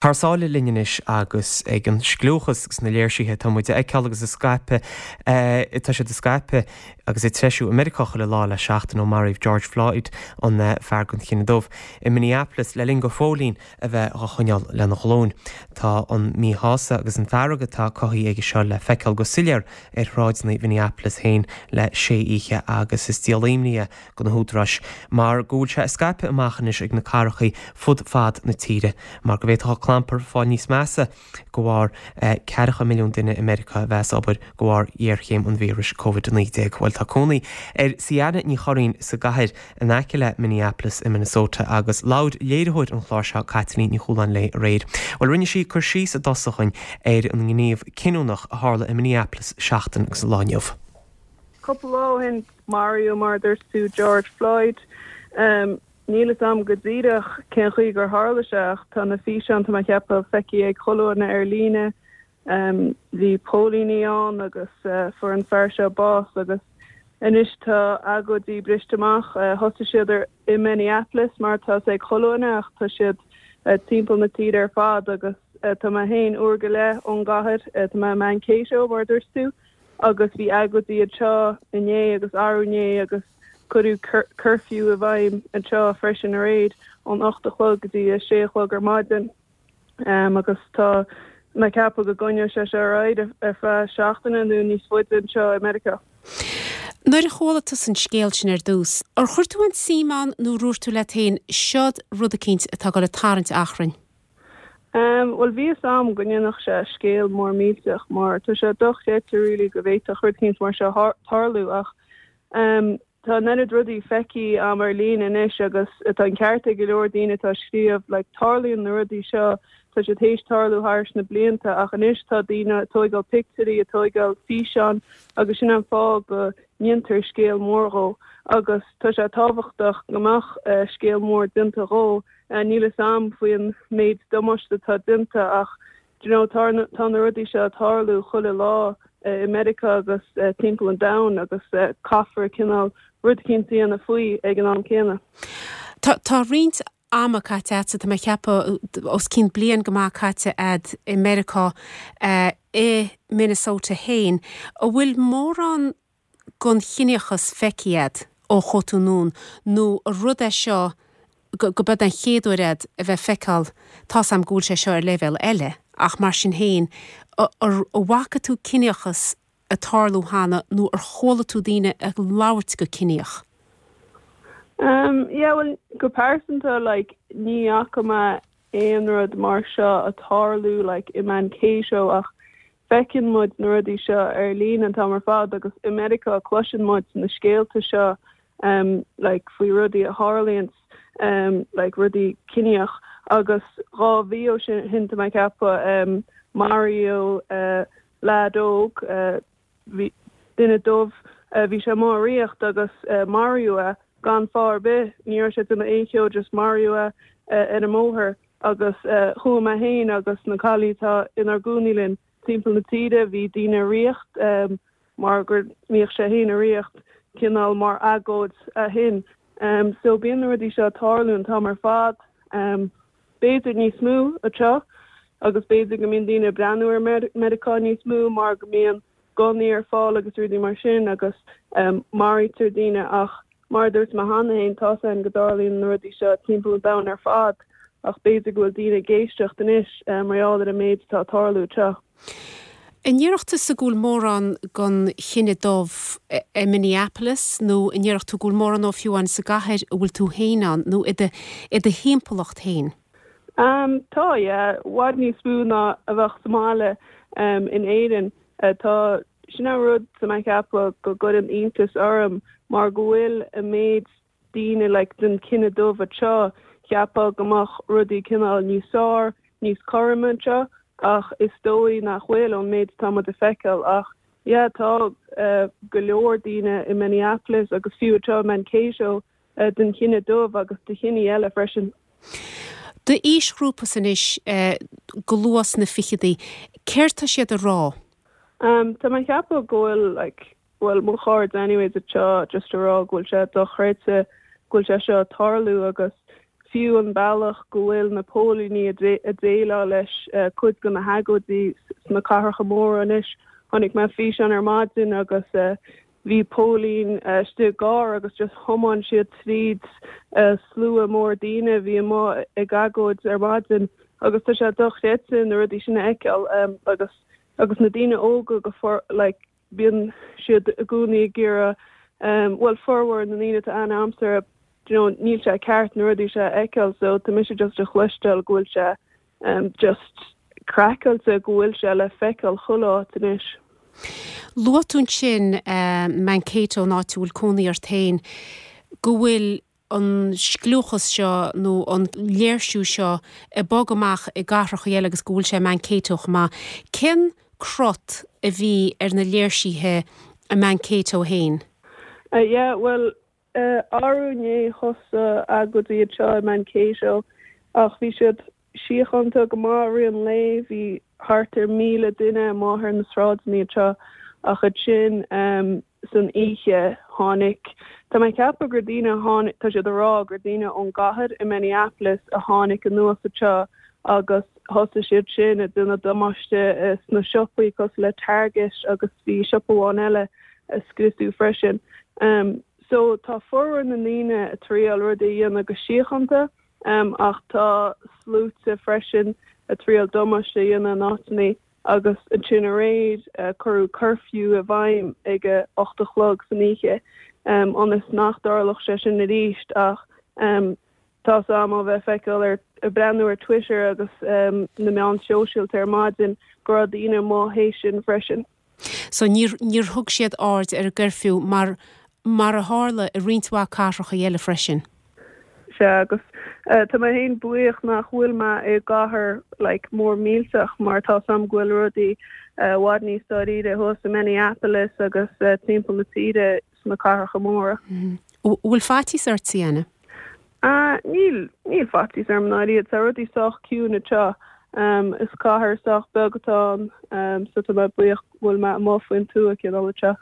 Thar sáile linn anois agus ag an scliúchas agus na léirsithe atá muid a fheiceáil agus ag scaipeadh, tá siad ag scaipeadh agus ag treisiú i Meiriceá chuile lá le seachtain ó maraíodh George Floyd, an fear den chine dubh, i Minneapolis le linn do phóilín a bheith dhá choinneáil lena ghlúin. Tá an míshásamh agus an fearg atá cothaithe aige seo le feiceáil go soiléir ar shráideanna Mhinneapolis féin le sé oíche agus is díol imní é do na húdaráis mar go bhfuil sé ag scaipeadh amach anois ag na cathrachaí fud fad na tíre mar go bhféadfadh an clampar fáil níos measa de bharr ceathracha milliún duine i Meiriceá a bheith as obair de bharr ghéarchéim an víris Covid-19. Bhuel tá cónaí ar Ciana Ní Churraoin sa gcathair in aice le Minneapolis i Minnesota agus labhair léiritheoir an chláir seo Caitlín Ní Chualáin léi aréir. Bhuel rinne sí cur síos i dtosach dhúinn ar an ngníomh cinniúnach a tharla i Minneapolis seachtain agus an lá inniu. Cúpla lá ó shin maraíodh, mar a dúirt tú, George Floyd. Níl fhios a'm go díreach cén chaoi gur tharla sé ach tá na físeáin, tá mé ag ceapadh, feicthe ag chuile dhuine ar líne. Bhí póilíní ann agus fuair an fear seo bás agus anois tá agóidí briste amach. Thosaigh siad ar i Minneapolis mar tá fhios ag chuile dhuine ach tá siad timpeall na tíre ar fad agus tá mé féin uair go leith ón gcathair, tá mé i Mankato mar a dúirt tú. agus bhí agóidí anseo inné agus arú inné agus cuireadh curfew i bhfeidhm anseo freisin aréir ón 8 a chlog go dtí a 6 a chlog ar maidin agus tá mé ag ceapadh go gcoinneoidh sé seo ar aghaidh ar feadh seachtaine nó níos faide anseo i Meiriceá. Nuair a chuala tusa an scéal sin ar dtús, ar chuir tú aon suim ann nó ar dhúirt tú leat féin, seod rud eicínt atá ag dul ag tarraingt achrainn? Bhuel, bhí fhios a'm go ndéanfadh sé scéal mór millteach mar tá sé dochreidte really go bhféadfadh rud eicínt mar seo tarlú ach tá an oiread rudaí feicthe a'm ar líne anois agus tá an ceart ag go leor daoine atá ag scríobh like tarlaíonn na rudaí seo, tá siad théis tarlú thairis na blianta ach anois tá daoine ag tóigeáil pictiúirí, ag tóigeáil físeán agus sin an fáth go ndéantar scéal mór dhó agus tá sé tábhachtach go mbeadh scéal mór déanta dhó. Níl fhios a'm faoin méid damáiste atá déanta ach do you know tá tá na rudaí seo ag tarlú chuile lá i Meiriceá agus timpeall an domhain agus caithfear cineál rud eicínt a dhéanamh faoi ag an am céanna. Tá tá roinnt ama caite a'dsa, tá mé ag ceapadh os cionn bliain go maith caite a'd i Meiriceá i Minnesota féin. An bhfuil mórán gon chiníochas feicthe a'd ó chuaigh tú anonn nó an rud é seo go b'eod an chéad uair a'd a bheith feiceáil, tá's a'm go bhfuil sé seo ar leibhéal eile ach mar sin féin, ar bhfaca tú ciníochas ag tarlú cheana nó ar chuala tú daoine ag labhairt go ciníoch? Umm yeah bhuel go pearsanta like ní fhaca mé aon rud mar seo ag tarlú like i Mankato ach Feiceann muid na rudaí seo ar líne an t-am ar fad agus i Meiriceá cloiseann muid na scéalta seo like faoi rudaí a tharlaíonns like rudaí ciníoch agus dha mhí ó shin tá mé ag ceapadh maraíodh leaid óg bhí duine dubh bhí sé amuigh ag ritheacht agus maraíodh é gan fáth ar bith ní raibh sé ag déanamh aon cheo just maraíodh é ar an mbóthar. Agus chuaigh mé féin agus na cailíní atá inár gcónaí linn timpeall na tíre, bhí daoine ag ritheacht mar go mbíodh sé féin ag ritheacht cineál mar agóid ó shin. So bíonn na rudaí seo ag tarlú an t-am ar fad, b'fhéidir níos mó anseo agus b'fhéidir go mbíonn daoine ag breathnú ar Meiriceá níos mó mar go mbíonn gunnaí ar fáil agus rudaí mar sin agus maraítear daoine ach mar a dúirt mé cheana féin, tá's a'inn go dtarlaíonn na rudaí seo timpeall an domhain ar fad ach b'fhéidir go bhfuil daoine ag éisteacht anois mar gheall ar an méid atá ag tarlú anseo. An ndéarfadh tusa go bhfuil mórán den chine dubh i Minneapolis nó an ndéarfadh tú go bhfuil mórán dó fiú amháin sa gcathair a bhfuil tú féin ann nó i do i do thimpeallacht féin? Tá, yeah. I bhfad níos mó ná a bheadh sa mbaile in Éirinn. Tá, sin an rud tá mé ag ceapadh go gcuireann iontas orm mar go bhfuil an méid daoine like den chine dubh anseo, cheapfá go mbeadh rudaí cineál níos fearr, níos cothroime anseo ach is dóigh nach bhfuil ón méid atá muid ag feiceáil ach yeah tá go leor daoine i Minneapolis agus fiú anseo i Mankato den chine dubh agus de chiní eile freisin. D'aoisghrúpa-sa anois, go luath sna ficheadaí, céard tá siad a rá? Tá mé ag ceapadh go bhfuil like, bhuel mo chairde anyways anseo just a rá go bhfuil sé dochreidte go bhfuil sé seo ag tarlú agus. Fiú an bealach go bhfuil na póilíní ag déileáil leis cuid de na hagóidí sna cathracha móra anois. Chonaic mé físeán ar maidin agus bhí póilín istigh i gcarr agus just thiomáin siad tríd slua mór daoine a bhí amuigh ag agóid ar maidin agus tá sé dochreidte na rudaí sin a fheiceáil agus agus na daoine óga go like bíonn siad i gcónaí ag iarraidh, bhuel formhór na ndaoine atá aithne a'msa orthu, do you know, níl sé ceart na rudaí seo a fheiceáil so tá mise just a chloisteáil go bhfuil sé just craiceáilte go bhfuil sé le feiceáil chuile áit anois. Luaigh tú ansin Mankato, an áit a bhfuil cónaí ort féin, go bhfuil an scliúchas seo nó an léirsiú seo ag bogadh amach i gcathracha eile agus go bhfuil sé i Mankato chomh maith. Cén crot a bhí ar na léirsithe i Mankato féin? Yeah, bhuel, arú inné thosaigh agóidí anseo i Mankato ach bhí siad síochánta go maith i rith an lae. Bhí thart ar 1,000 duine amuigh ar na sráideanna anseo ach ansin san oíche tháinig, tá mé ag ceapadh gur daoine a tháinig, tá siad ag rá gur daoine ón gcathair i Minneapolis a tháinig anuas anseo agus thosaigh siad sin ag déanamh damáiste sna siopaí cosúil le Target agus bhí siopa amháin eile a scriosadh freisin. So tá formhór na ndaoine ag triail rudaí a dhéanamh go síochánta. Ach tá sluaite freisin ag triail damáiste a dhéanamh in áiteanna agus ansin aréir cuireadh curfew i bhfeidhm ag a 8 a chlog san oíche ionas nach dtarlódh sé sin arís ach tá's a'm ó bheith ag feiceáil ar, ag breathnú ar Twitter agus na meáin shóisialta ar maidin go raibh daoine amuigh théis sin freisin. So níor, níor thug siad aird ar an gcuirfiú mar, mar a tharla i roinnt mhaith cathracha eile freisin. Sea, agus tá mé féin buíoch nach bhfuil mé i gcathair like mór millteach mar tá's a'm go bhfuil rudaí i bhfad níos dáiríre thuas i Minneapolis agus timpeall na tíre sna cathracha móra. Bhfuil faitíos ort, Sienna? Ah, níl, níl faitíos orm i ndáiríre. Tá rudaí sách ciúin anseo. Is cathair sách beag atá ann, so tá mé buíoch go bhfuil mé amuigh faoin tuath cineál anseo.